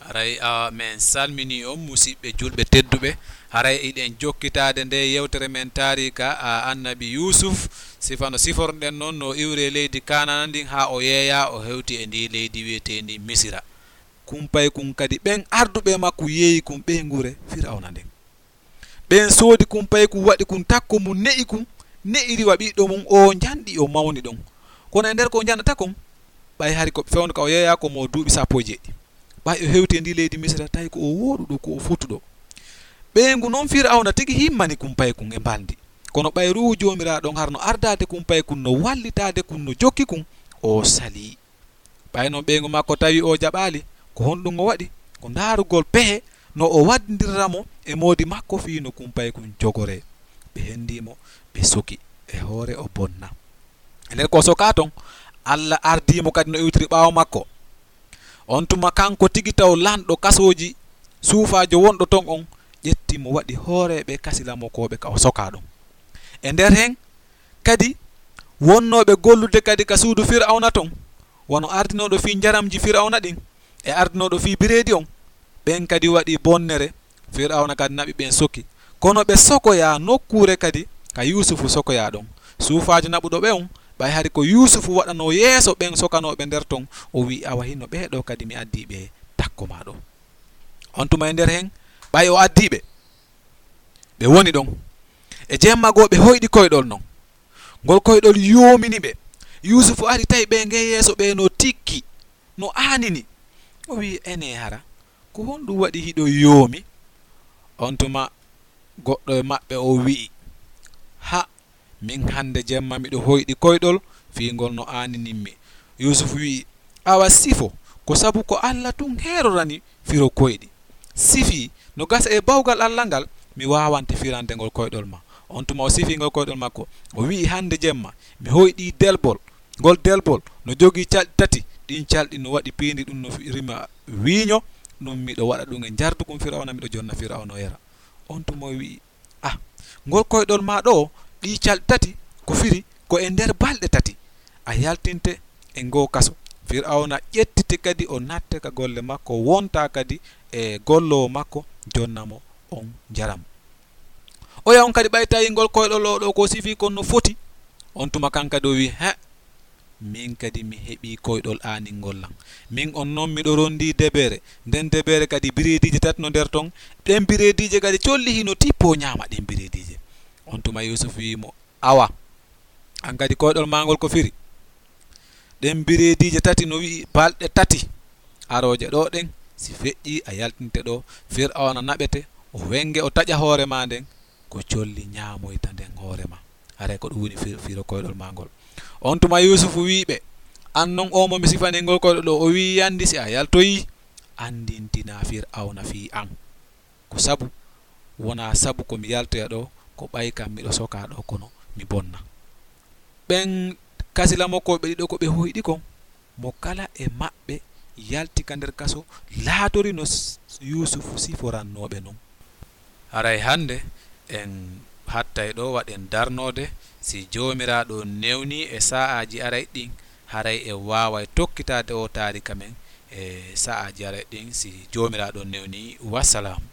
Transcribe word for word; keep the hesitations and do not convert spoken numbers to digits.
Haray a men salmini on, musiɓɓe julɓe tedduɓe. Haray iɗen jokkitaade nde yewtere men taarika a annabi Yuusuf. Sifa no siforɗen noon, no iwri e leydi Kanana ndin haa o yeeya, o hewti e ndi leydi wiyeteendi Misira. Kumpay kun kadi ɓen arduɓe makko yeeyi kun ɓeynguure Firawna nden. Ɓen soodi kun payi kun, waɗi kun takko mun, ne'i kun, ne'iri wa ɓiɗɗo mun o njanɗi, o mawni ɗon. Kono e nder ko o njanɗata kon, ɓay hari ko fewndo ka o yeeyaa ko mo duuɓi sappo e jeeɗiɗi. Ɓay o hewti e ndi leydi Misira, tawi ko o wooɗuɗo, ko o fotuɗo. Ɓeyngu non Firawna tigi himmani kun payi kun e mbalndi. Kono ɓay Ruuhu Joomiraaɗo on harno ardaade kun payi kun, no wallitaade kun, no jokki kun, o salii. Ɓay non ɓeyngu makko tawi o jaɓaali, ko honɗun o waɗi? Ko ndaarugol pehe no o waddindirra mo e moodi makko fii no kun payi kun jogoree. Ɓe hendii mo, ɓe soki, e hoore o bonna. E nder ko o sokaa ton, Alla ardii mo kadi no iwtiri ɓaawo makko. On tuma kanko tigi taw lanɗo kasooji suufaajo wonɗo ton on ƴetti mo waɗi hooreeɓe kasilamokooɓe ka o sokaa ɗon. E nder hen kadi wonnooɓe gollude kadi ka suudu Firawna ton, wano ardinooɗo fii njaramji Firawna ɗin e ardinooɗo fii bireedi on, ɓen kadi waɗi bonnere. Firawna kadi naɓi ɓen soki. Kono ɓe sokoyaa nokkuure kadi ka Yuusufu sokoyaa ɗon. Suufaajo naɓuɗo ɓe on, ɓay hari ko Yuusufu waɗanoo yeeso ɓen sokanooɓe nder ton, o wi'i, "Awa hino ɓee ɗoo kadi mi addii ɓe takko maa ɗoo." On tuma e nder hen, ɓay o addii ɓe, ɓe woni ɗon. E jemma goo ɓe hoyɗi koyɗol non. Ngol koyɗol yoomini ɓe. Yuusufu ari tawi ɓe ngee yeeso ɓe no tikki, no aanini. O wi'i, "Enee hara, ko honɗun waɗi hiɗo yoomi?" On tuma goɗɗo e maɓɓe o wi'i, "Ha, min hande jemma miɗo hoyɗi koyɗol fii ngol no aaninimmi." Yuusufu wi'i, "Awa sifo, ko sabu ko Alla tun heerorani firo koyɗi. Sifii, no gasa e bawgal Alla ngal, mi waawante firande ngol koyɗol ma." On tuma o sifii ngol koyɗol makko. O wi'i, "Hande jemma, mi hoyɗii delbol. Ngol delbol no jogii calɗi tati. Ɗin calɗi no waɗi piindi, ɗun no fi-, rima wiiño. Ɗun miɗo waɗa ɗun e njardugum Firawna, miɗo jonna Firawna o yara." On tuma o wi'i, "Ah, ngol koyɗol maa ɗoo, ɗii calɗi tati, ko firi ko e nder balɗe tati a yaltinte e ngoo kaso. Firawna ƴettite kadi o natte ka golle makko, wonta kadi e golloowo makko, jonna mo on njaram." Oya on kadi ɓay tawi ngol koyɗol oo ɗoo ko sifii kon no foti, on tuma kan kadi o wi'i, "He, min kadi mi heɓii koyɗol aaningol lan. Min on non miɗo rondii debeere. Nden debeere kadi bireediije tati no nder ton. Ɗen bireediije kadi colli hino tippoo ñaama ɗen bireediije." On tuma Yuusufu wi'i mo, "Awa, an kadi koyɗol maa ngol ko firi? Ɗen bireediije tati no wi'i balɗe tati arooje ɗoo ɗen, si feƴƴii a yaltinte ɗoo, Firawna naɓete, o wenge, o taƴa hoore maa nden, ko colli ñaamoyta nden hoore maa. Haray ko ɗun woni fir-, firo koyɗol maa ngol." On tuma Yuusufu wi'i ɓe, "An non oo mo mi sifanii ngol koyɗol ɗoo, o wi'i yandi si a yaltoyii, andintinaa Firawna fii an. Ko sabu, wonaa sabu ko mi yaltoya ɗoo, ko ɓay kan miɗo sokaa ɗoo, kono mi bonna." Ɓen kasilamokooɓe ɗiɗo ko ɓe hoyɗi kon, mo kala e maɓɓe yalti ka nder kaso, laatori no s-, Yuusufu siforannoo ɓe non. Haray hande en hattay ɗoo, waɗen darnoode, si Joomiraaɗo newnii e sa'aaji aray ɗin, haray en waaway tokkitaade oo taarika men e sa'aaji aray ɗin, si Joomiraaɗo newnii. Wassalaamu.